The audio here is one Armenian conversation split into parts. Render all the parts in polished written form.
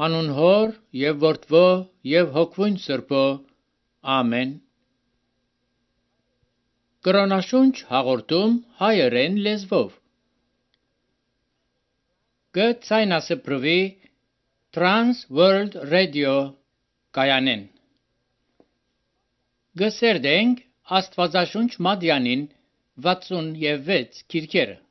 Անուն Հոր եւ Որդվո եւ Հոգվուն Սրբո։ Ամեն։ Կրոնաշունչ հաղորդում հայերեն լեզվով։ Գցայնասպրվի Trans World Radio կայանեն։ Գսերդենք Աստվածաշունչ Մադյանին 66 քիրքերը։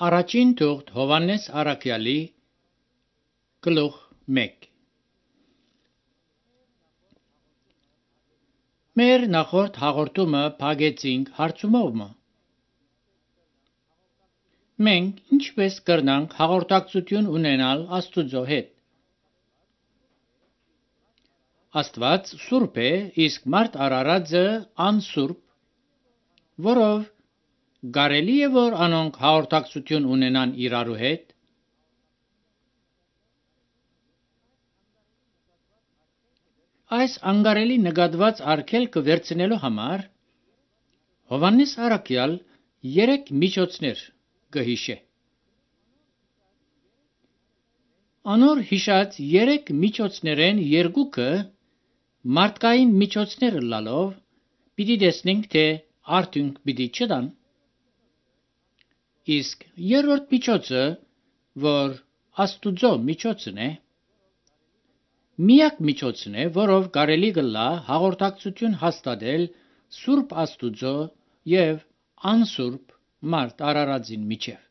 Առաջին թուղթ Հովհաննես Առաքյալի գլուխ 1։ Մեր նախորդ հաղորդումը փակեցինք հարցումով։ Մենք ինչպես կրնանք հաղորդակցություն ունենալ Աստուծո հետ։ Աստված սուրբ է, իսկ մարդ արարածը անսուրբ, որով կարելի է որ անոնք հաղորդակցություն ունենան իրարու հետ։ Այս անկարելի նկատված արգելքը վերցնելու համար Հովհաննես Առաքյալ 3 միջոցներ կհիշե։ Անոր հիշած 3 միջոցներեն երկուքը մարդկային միջոցներ լալով պիտի տեսնենք, թե արդյունք պիտի չտան։ Իսկ երրորդ միջոցը, որ Աստուծո միջոցն է, միակ միջոցն է, որով կարելի կլա հաղորդակցություն հաստատել Սուրբ Աստուծո եւ անսուրբ մարդ արարածին միջև։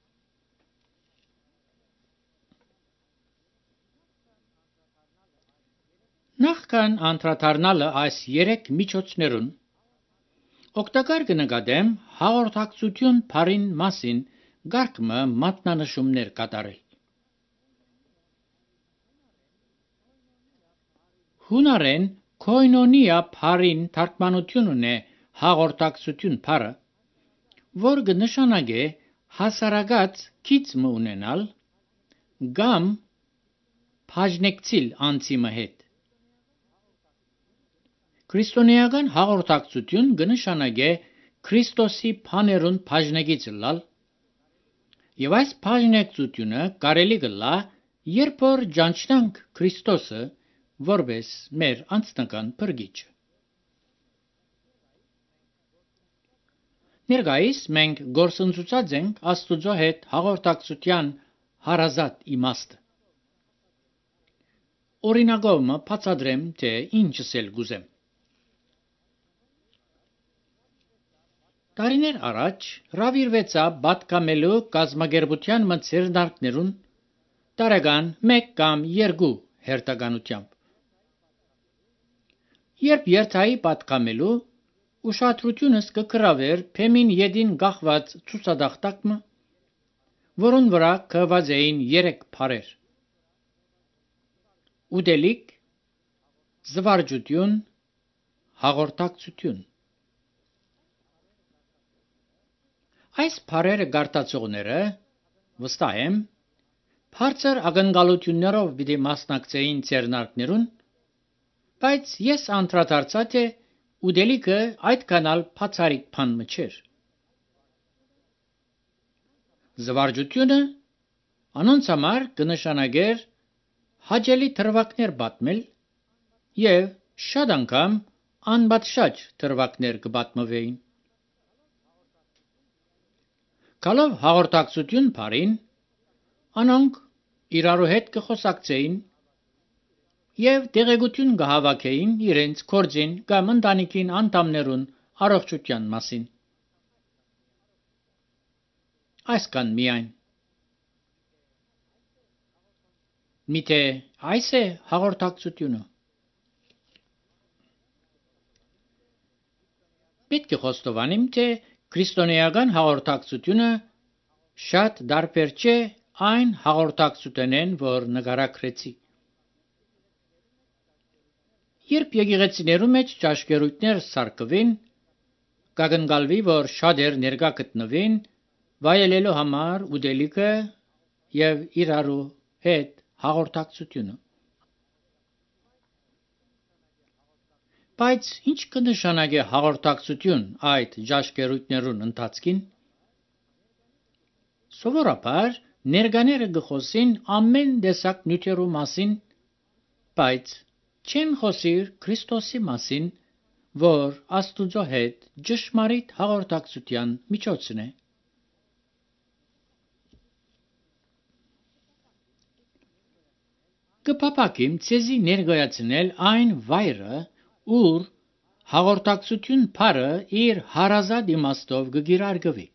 Նախքան անդրադառնալը այս 3 միջոցներուն, օգտակար կնկատեմ հաղորդակցություն բառին մասին գարկմը մատնանշումներ կատարել։ Հունարեն քոյնոնիա բառին թարգմանություն ունի հաղորդակցություն բառը, որ կնշանակե հասարակած քիծմը ունենալ կամ բաժնեկցիլ անձի հետ։ Քրիստոնեական հաղորդակցություն կնշանակե Քրիստոսի բաներուն բաժնեկից լալ, եւ այս բաժնեկցությունը կարելի կլա, երբ որ ճանչնանք Քրիստոսը որպես մեր անձնական փրկիչը։ Ներկայիս մենք գործընծուցած ենք Աստուծո հետ հաղորդակցության հարազատ իմաստը։ Օրինակով մը բացատրեմ, թե ինչս էլ գուզեմ։ Տարիներ առաջ հրավիրվեցա պատկամելու կազմակերպության մցերնարկներուն տարեկան 1 կամ 2 հերթականությամբ։ Երբ երթայի պատկամելու ուշադրությունս կգրավեր փեմին յետին գախված ցուցադախտակը, որոն վրա գրված էին 3 բառեր. ուտելիք, զվարճություն, հաղորդակցություն։ Այս բառերը գարտացողները վստահ եմ բարձր ակնկալություններով պիտի մասնակցեին ցերնարկներուն, բայց ես անդրադարձա թե ուտելիքը այդքանալ բացառիկ բան չէր։ Զվարճությունը անոնց համար կնշանակեր հաճելի դրվագներ պատմել եւ շատ անգամ անպատշաճ դրվագներ կպատմվեին։ Գալով հաղորդակցություն բառին, անոնք իրարու հետ կխոսակցեին եւ տեղեկություն կհավաքեին իրենց կորձին կամ ընտանիքին անդամներուն առողջության մասին։ Այսքան միայն։ Միթե այս է հաղորդակցությունը։ Պետք է խոստովանեմ, թե քրիստոնեական հաղորդակցությունը շատ դարբեր չէ այն հաղորդակցությունեն, որ նկարագրեցի։ Երբ եկեղեցիներու մեջ ճաշկերույթներ սարքվին, կակնկալվի, որ շատեր ներկա գտնվին վայելելու համար ուտելիքը եւ իրարու հետ հաղորդակցությունը։ Բայց ինչ կնշանակե հաղորդակցություն այդ ճաշկերույթներուն ընթացքին։ Սովորաբար ներկաները կխոսին ամեն տեսակ նյութերու մասին, բայց չեն խոսիր Քրիստոսի մասին, որ Աստուծո հետ ճշմարիտ հաղորդակցության միջոցն է։ Կփափակեմ ցեզի ներկայացնել այն վայրը, ուր հաղորդակցություն բառը իր հարազատ իմաստով կգիրարգվի։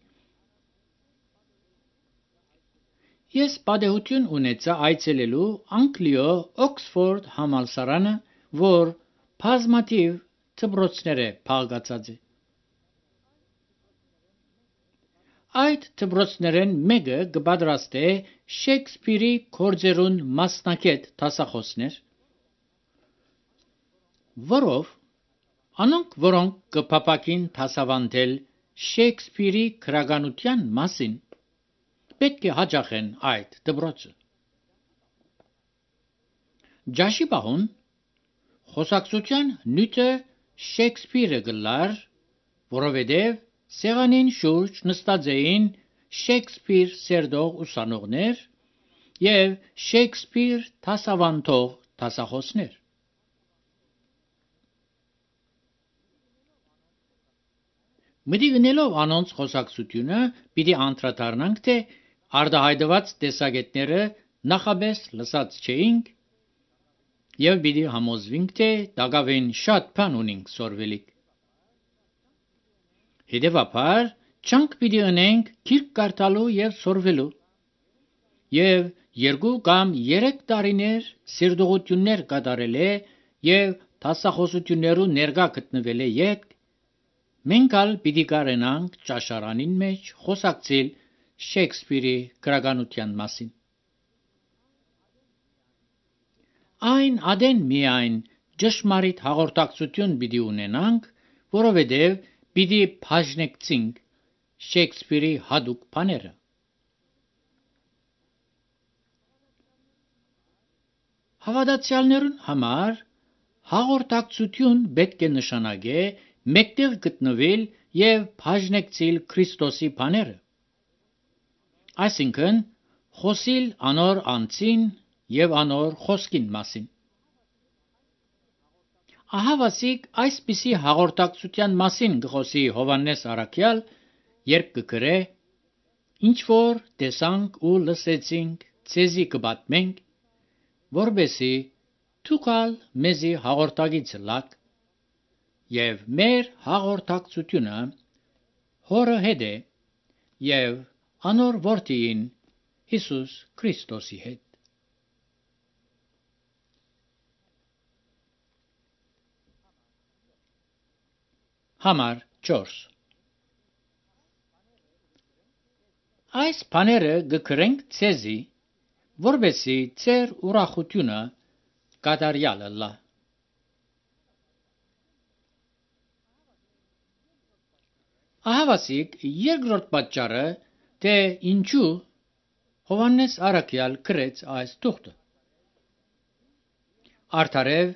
Ես պատեհություն ունեցա այցելելու Անգլիո Օքսֆորդ համալսարանը, որ բազմաթիվ դպրոցներ է փակացած է։ Այդ դպրոցներեն մեկը կպատրաստե Շեքսպիրի գործերուն մասնակետ դասախոսներ, որով անոնք, որոնք կփափակին դասավանդել Շեքսպիրի գրականության մասին, պետք է հաճախեն այդ դպրոցը։ Ջաշի բահուն խոսակցության նյութը Շեքսպիրը գլար, որովհետև սեղանին շուրջ նստած էին Շեքսպիր սերտող ուսանողներ եւ Շեքսպիր դասավանդող դասախոսներ։ Մտիգնելով անոնց խոսակցությունը, պիտի անդրադառնանք, թե արդահայտված տեսակետները նախապես լսած չէինք եւ պիտի համոզվենք, թե դակավին շատ բան ունենք սորվելիք։ Հետևաբար, չանք պիտի ունենք գիրք կարդալու եւ սորվելու եւ 2 կամ 3 տարիներ սիրտողություններ կատարել է եւ դասախոսություններու ներկա գտնվել է յետ, մենք ալ պիտի կարենանք ճաշարանին մեջ խոսակցել Շեքսպիրի գրականության մասին։ Այն ադեն միայն ճշմարիտ հաղորդակցություն պիտի ունենանք, որովհետև պիտի բաժնեկցենք Շեքսպիրի հadoop բաները։ Հավատացյալներուն համար հաղորդակցություն պետք է նշանակե մեկտեղ գտնվել եւ բաժնեկցել Քրիստոսի բաները։ Այսինքն խոսիլ անոր անձին եւ անոր խոսքին մասին։ Ահավասիկ այսպիսի հաղորդակցության մասին գխոսի Հովաննես Արաքյալ, երբ կգրե. ինչ որ տեսանք ու լսեցինք, ցեզի կպատմենք, որբեսի թուքալ մեզի հաղորդագից լակ, եւ մեր հաղորդակցությունը հորը հետ է եւ անոր որդին Հիսուս Քրիստոսի հետ։ Համար 4 Այս բաները գկրենք ցեզի, որբեսի ծեր ուրախությունը կատարյալ լա։ Ահավասիկ երկրորդ պատճառը, թե ինչու Հովաննես Արաքյալ գրեց այս թուղթը։ Արդարև,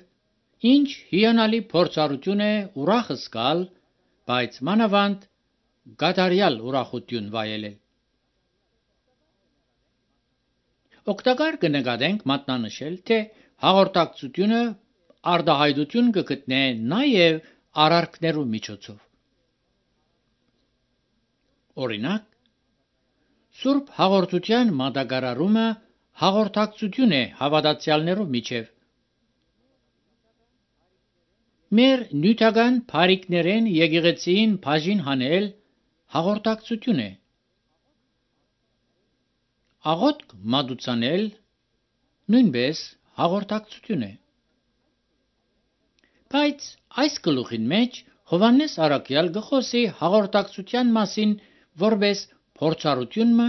ինչ հիանալի փորձառություն է ուրախ զգալ, բայց մանավանդ կատարյալ ուրախություն վայելել։ Օգտակար կնկատենք մատնանշել, թե հաղորդակցությունը արտահայտություն կգտնե նաև արարքներու միջոցով։ Օրինակ, Սուրբ հաղորդության մատակարարումը հաղորդակցություն է հավատացյալներու միջև։ Մեր նյութական բարիքներեն եկեղեցին բաժին հանել հաղորդակցություն է։ Աղոթք մատուցանել նույնպես հաղորդակցություն է։ Բայց այս գլուխին մեջ Հովաննես Արաքյալ գխոսի հաղորդակցության մասին որպես փորձառությունը,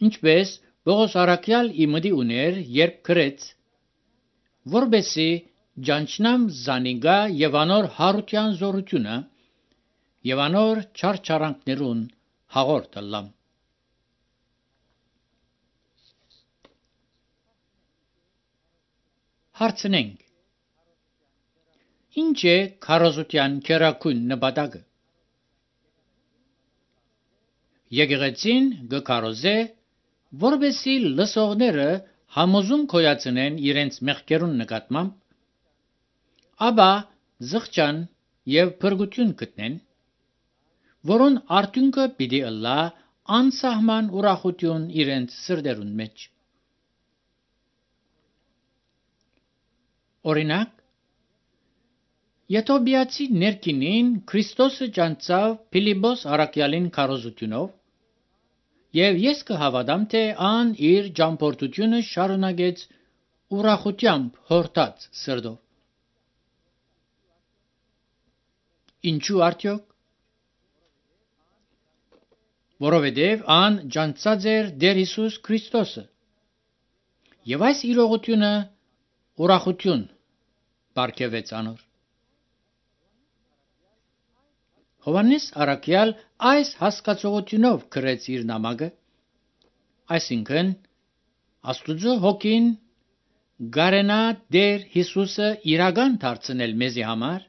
ինչպես Պողոս Արաքյալ իմդի ուներ, երբ գրեց. որբեսի ճանչնամ զանիգա եւ անոր հարության զորությունը եւ անոր չարչարանքներուն հաղորդ լամ։ Հարցնենք. ինչ է քարոզության քերակույն նպատակը։ Եկեղեցին գքարոզե, որբեսի լսողները համոզում կոյացնեն իրենց մեղքերուն նկատմամբ, ապա զղջան եւ փրկություն գտնեն, որոն արդյունքը պիտի ըլլա անսահման ուրախություն իրենց սրտերուն մեջ։ Օրինակ, Եթոբիացի ներքինին Քրիստոսը ճանչավ Փիլիպոս Արաքյալին քարոզությունով, եւ ես կհավատամ, թե ան իր ճամփորդությունը շարունակեց ուրախությամբ հորտած սրտով։ Ինչու արդյոք։ Որովհետև ան ճանչած էր Տեր Հիսուս Քրիստոսը, եւ այս իրողությունը ուրախություն բարգեւեց անոր։ Հովաննես Արաքյալ այս հասկացողությունով գրեց իր նամակը, այսինքն Աստուծո հոգին գարենա Տեր Հիսուսը իրական դարձնել մեզի համար,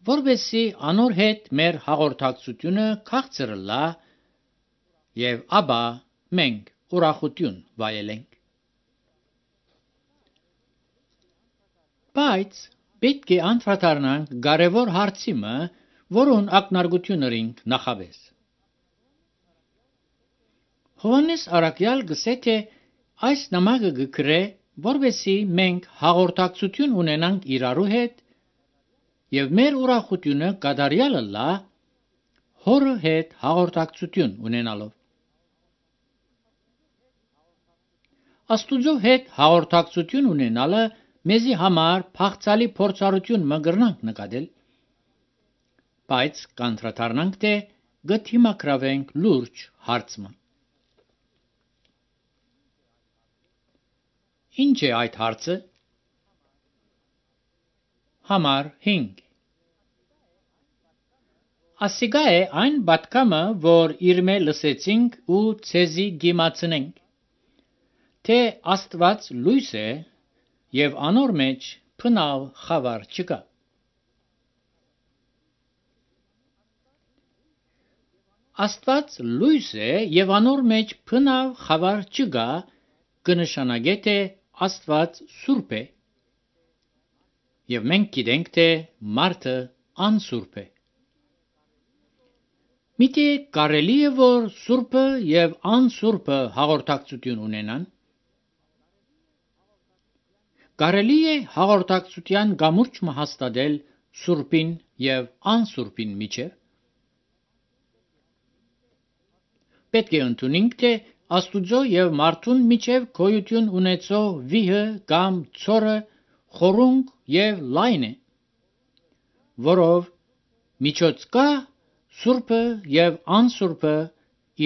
որբեսի անոր հետ մեր հաղորդակցությունը քաղցր լա եւ ապա մենք ուրախություն վայելենք։ Բայց պետք է անդրադառնանք կարևոր հարցիմը, որուն ակնարկություն ունենք նախաբես։ Հովաննես Արաքյալ գսե թե այս նամակը գկրե, որբեսի մենք հաղորդակցություն ունենանք իրարու հետ եւ մեր ուրախությունը կատարյալ լա հորը հետ հաղորդակցություն ունենալով։ Աստուծո հետ հաղորդակցություն ունենալը մեզի համար փախցալի փորձառություն մգրնանք նկատել, բայց կանտրատարնանք թե գթիմակրավենք լուրջ հարցը։ Ինչ է այդ հարցը։ Համար 5 Ասիգա է այն բատկամը, որ իրմե լսեցինք ու ցեզի գիմացնենք, թե Աստված լույս է և անոր մեջ փնավ խավար չկա։ Աստված լույս է և անոր մեջ փնավ խավար չկա կնշանակե թե Աստված սուրբ է, և մենք գիտենք թե մարդը անսուրբ է։ Միտի կարելի է որ սուրբը և անսուրբը հաղորդակցություն ունենան։ Կարելի է հաղորդակցության գամուրջը հաստատել սուրբին և անսուրբին միջև։ Պետք է ընդունենք թե Աստուծո և մարդուն միջև գոյություն ունեցող վիհը կամ ցորը խորունկ և լայն է, որով միջոց կա սուրբը և անսուրբը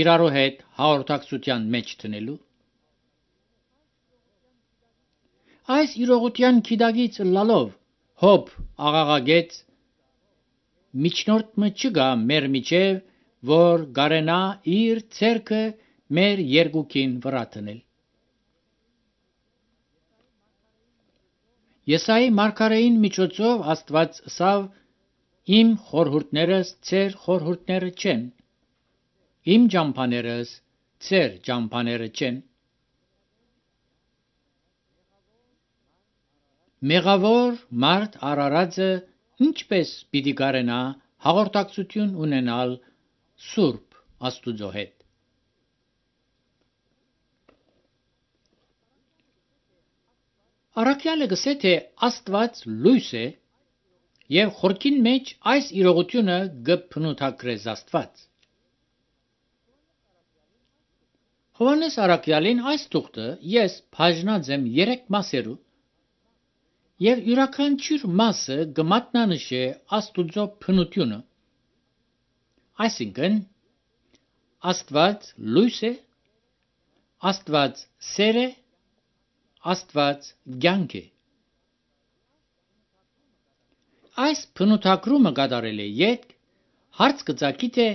իրարու հետ հաղորդակցության մեջ դնելու։ Այս իրողության գիտակից ըլլալով Հոբ աղաղակեց. միջնորդը չկա մեր միջև, որ գարենա իր ձեռքը մեր երկուքին վրա դնել։ Եսայի մարգարեին միջոցով Աստված ասավ. իմ խորհուրդներս ձեր խորհուրդները չեն, իմ ճամփաներս ձեր ճամփաները չեն։ Մեղավոր մարդ արարածը ինչպես պիտի կարենա հաղորդակցություն ունենալ Սուրբ Աստուծո հետ։ Առաքյալը գսե թե Աստված լույս է և խորքին մեջ այս իրողությունը գփնութագրես Աստված։ Հովհաննես առաքյալին այս թուղթը ես բաժնած եմ 3 մասերու և յուրաքանչյուր մասը կմատնանշե Աստուծո բնությունը, այսինքն Աստված լույս է, Աստված սեր է, Աստված կյանք է։ Այս բնութագրումը կատարել է ետք հարց կծագի թե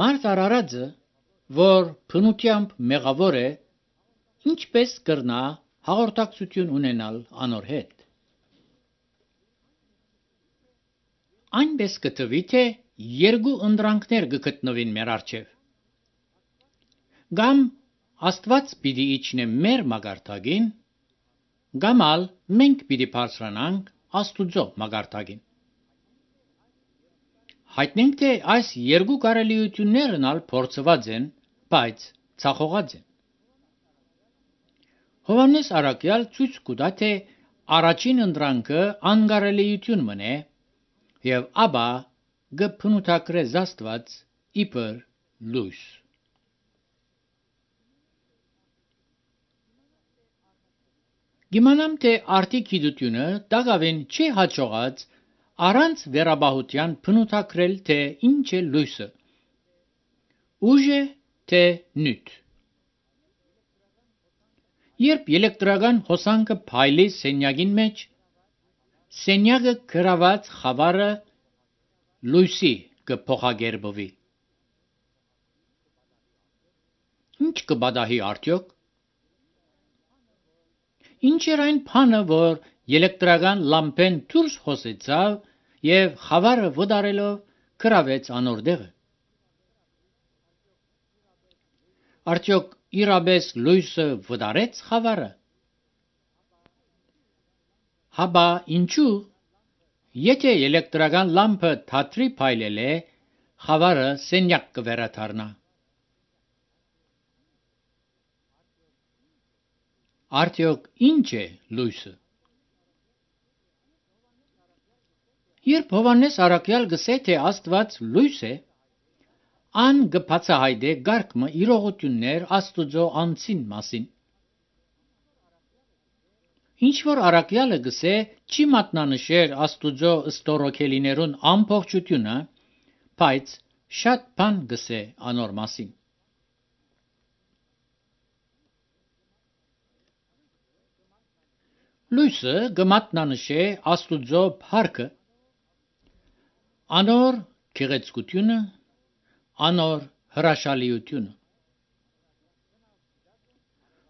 մարդ արարածը, որ բնությամբ մեղավոր է, ինչպես կրնա հաղորդակցություն ունենալ անոր հետ։ Այնպես կտվի թե երկու ընտրանքներ կգտնվին մեր առջև։ Կամ Աստված պիտի իջնե մեր մագարտագին, կամ ալ մենք պիտի բարձրանանք Աստուծո մագարտագին։ Հայտնենք թե այս երկու կարելիություններն ալ փորձված են, բայց ցախողած են։ Հովհաննես առաքյալ ցույց կտա թե առաջին ընտրանքը անկարելիություն մնե և ապա կփնութագրես Աստված իբր լույս։ Գիմանամ թե արդի գիտությունը դակավին չի հաջողած առանց վերաբահության բնութագրել թե ինչ է լույսը, ուժ է թե նյութ։ Երբ էլեկտրական հոսանքը փայլի սենյակին մեջ, սենյակը գրաված խավարը լույսի կփոխակերպվի։ Ինչ կպատահի արդյոք։ Ինչ էր այն բանը, որ էլեկտրական լամպեն դուրս հոսեցավ և խավարը վտարելով գրավեց անոր տեղը։ Արդյոք իրապես լույսը վտարեց խավարը։ Հապա ինչու, եթե էլեկտրական լամպը թատրի փայլել է, խավարը սենյակ կվերադառնա։ Արդյոք ինչ է լույսը։ Երբ Հովհաննես առաքյալ գսե թե Աստված լույս է, ան կբացահայտե գարկմը իրողություններ Աստուծո անձին մասին։ Ինչ որ առաքյալը գսե չի մատնանշեր Աստուծո ստորոքելիներուն ամբողջությունը, բայց շատ բան գսե անոր մասին։ Լույսը գմատնանշե Աստուծո փառքը, անոր գեղեցկությունը, անոր հրաշալիությունը։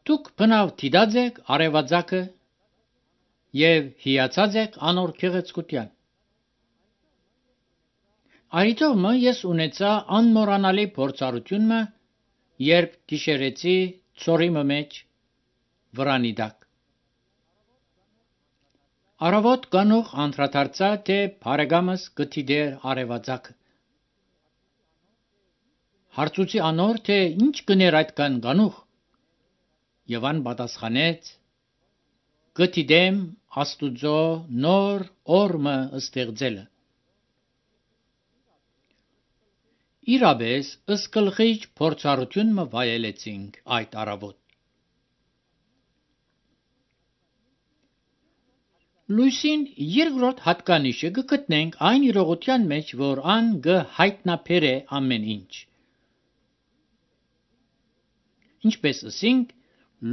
Դուք բնավ դիդած եք արևածագը եւ հիացած եք անոր գեղեցկության։ Արիտոմը ես ունեցա անմոռանալի փորձառությունը, երբ գիշերեցի ծորիմը մեջ վրանի տակ։ Արավոտ կանող անդրադարձա, թե բարեկամս գտիդեր արևածագը։ Հարցուցի անոր, թե ինչ կներ այդքան կանող, եւ ան պատասխանեց. գտիդեմ Աստուծո նոր օրմը ստեղծելը։ Իրապես ըսկլխիչ փորձառությունը վայելեցինք այդ արավոտ։ Լույսին երկրորդ հատկանիշը գտնենք այն իրողության մեջ, որ ան հայտնաբերե ամեն ինչ։ Ինչպես ասինք,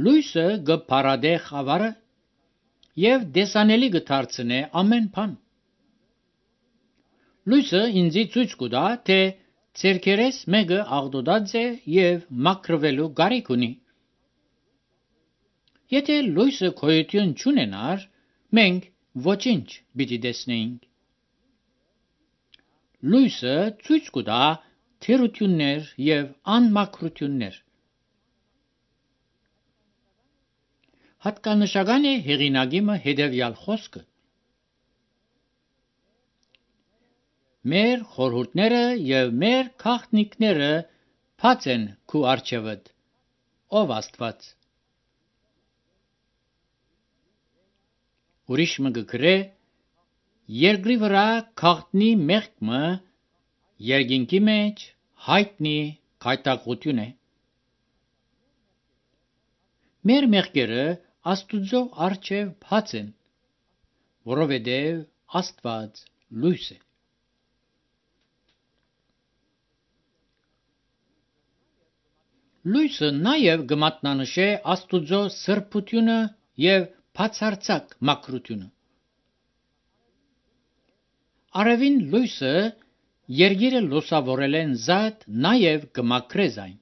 լույսը գփարադե խավարը եւ դեսանելի գդարձնե ամեն բան։ Լույսը ինձի ցույց կտա, թե ցերկերես մեկը աղդոդած է եւ մաքրվելու կարիք ունի։ Եթե լույսը գոյություն չունենար, մենք ոչինչ պիտի տեսնեինք։ Լույսը ցույց կտա թերություններ եւ անմաքրություններ։ Հատկանշական է հեղինակիմը հետևյալ խոսքը. մեր խորհուրդները եւ մեր քաղտնիքները բաց են քու առջևդ, ով Աստված։ Ուրիշ մը գրե, երկրի վրա քաղտնի մեղքմը երկինքի մեջ հայտնի գայթակղություն է։ Մեր մեղքերը Աստուծո առջև բաց են, որովհետև Աստված լույս է։ Լույսը նաև գմատնանշե Աստուծո սրբությունը եւ բացարձակ մաքրությունը։ Արևին լույսը երկիրը լուսավորել են զատ նաև գմաքրե այն։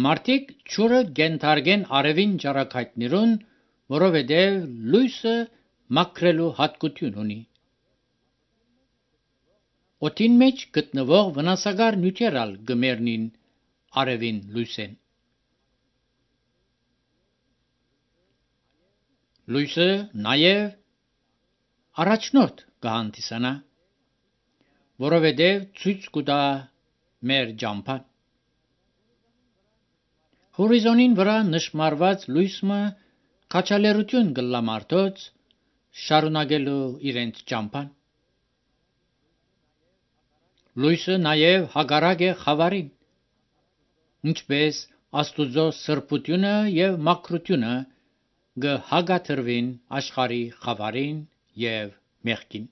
Մարդիկ ճուրը գենթարգեն արևին ճառագայթներուն, որովհետև լույսը մաքրելու հատկություն ունի։ Օդին մեջ գտնվող վնասակար նյութերալ գմերնին արևին լույսեն։ Լույսը նաև առաջնորդ կհանդիսանա, որովհետև ցույց կտա մեր ճամփան։ Հորիզոնին վրա նշմարված լույսը քաջալերություն կլա մարդոց շարունակելու իրենց ճամփան։ Լույսը նաև հագարակ է խավարին, ինչպես Աստուծո սրբությունը եւ մաքրությունը կհագաթրվին աշխարհի խավարին եւ մեղքին։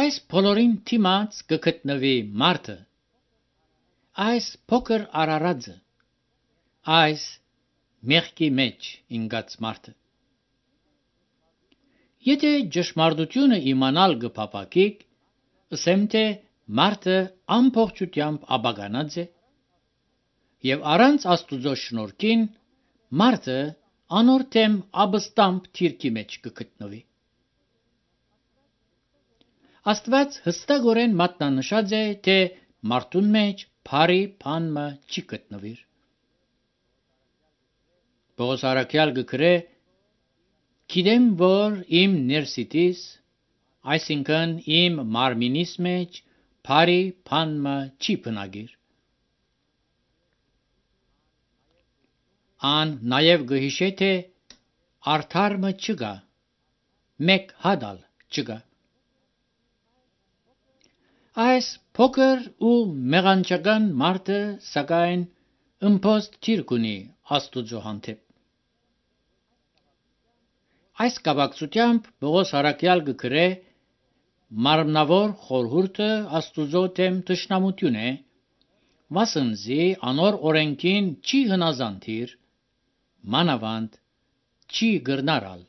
Այս բոլորին դիմաց կգտնվի մարդը, այս փոքր արարածը, այս մեղքի մեջ ինգած մարդը։ Եթե ճշմարտությունը իմանալ կփապակիկ, ասեմ թե մարդը ամբողջությամբ աբականած է, եւ առանց Աստուծո շնորհքին մարդը անորթեմ աբստամբ թիրքի մեջ կգտնվի։ Աստված հստակորեն մատնանշած է, թե մարդուն մեջ բարի բանը չի գտնվիր։ Պողոս առաքյալ գրե. գիտեմ, որ իմ ներսիտիս, այսինքն իմ մարմինիս մեջ բարի բանը չի բնագիր։ Ան նաև գհիշե, թե արդարը չկա, մեկ հատալ չկա։ Այս փոքր ու մեղանչական մարդը սակայն ըմբոստ թիրք ունի Աստուծո հանդեպ։ Այս կապակցությամբ Պողոս առաքյալ գրե. «Մարմնավոր խորհուրդը Աստուծո դեմ թշնամություն է, վասնզի անոր օրենքին չի հնազանդիր, մանավանդ չի գրնարալ»։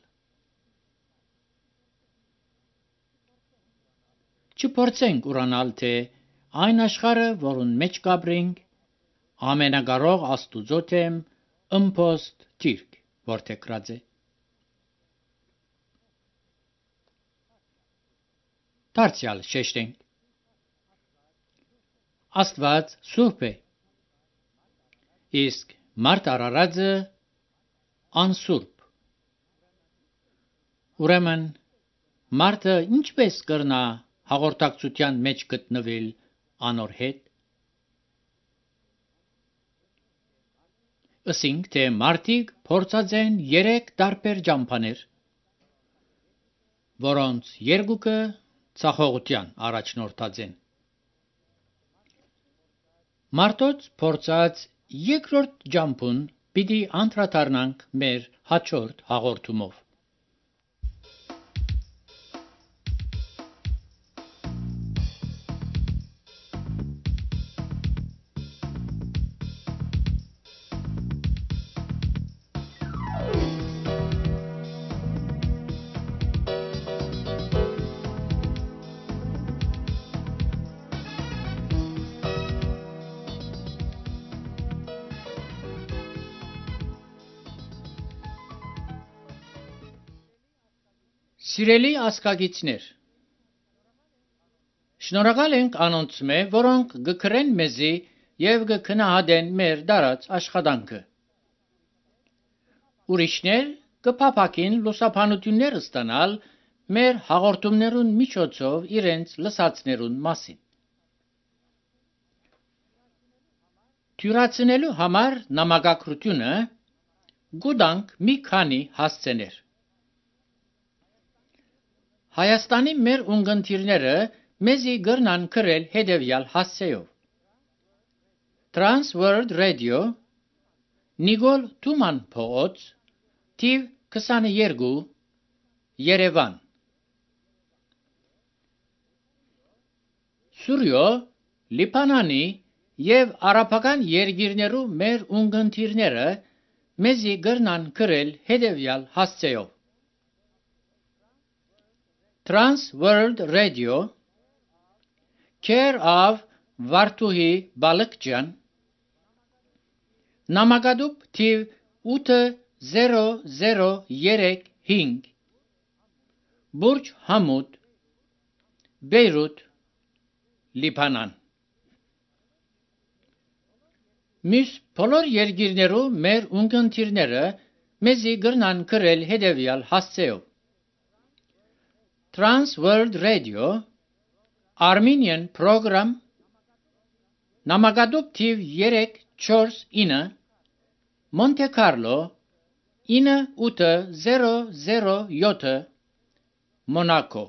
Չփորձենք ուրանալ, թե այն աշխարհը, որուն մեջ կապրենք, ամենակարող Աստուծո դեմ ըմբոստ թիրք որդեգրած է։ Դարձյալ շեշտենք. Աստված սուրբ է, իսկ մարդ արարածը անսուրբ։ Ուրեմն մարդը ինչպես կրնա հաղորդակցության մեջ գտնվել անոր հետ։ Ասենք, թե մարդիկ փորձած են 3 տարբեր ճամփաներ, որոնց երկուքը ցախողության առաջնորդած են։ Մարդոց փորձած երկրորդ ճամփուն պիտի անդրադառնանք մեր հաջորդ հաղորդումով։ Սիրելի ազգագիցներ, շնորհակալ ենք անոնց մե, որոնք գկրեն մեզի եւ գքնահատեն մեր դարած աշխատանքը։ Ուրիշներ կփափակին լուսաբանություններ ստանալ մեր հաղորդումներուն միջոցով իրենց լսածներուն մասին։ Թյուրացնելու համար նամակագրությունը գուտանք մի քանի հասցեներ։ Հայաստանի մեր ունգընտիրները մեզի գրնան գրել հետևյալ հասցեով. Trans World Radio, Նիկոլ Թուման փողոց, թիվ 22, Երևան։ Սուրյո, Լիբանանի եւ արաբական երկիրներու մեր ունգընտիրները մեզի գրնան գրել հետևյալ հասցեով. Trans World Radio, care of Վարդուհի Բալկջյան, նամակադուպ թիվ 80035, Բուրջ Համուդ, Բեյրութ, Լիբանան։ Մյուս բոլոր երկիրներու մեր ունգընտիրները մեզի գրնան գրել հետևյալ հասցեով. Trans World Radio, Armenian Program, նամակադուպ թիվ 349, Monte Carlo, 9807, Monaco։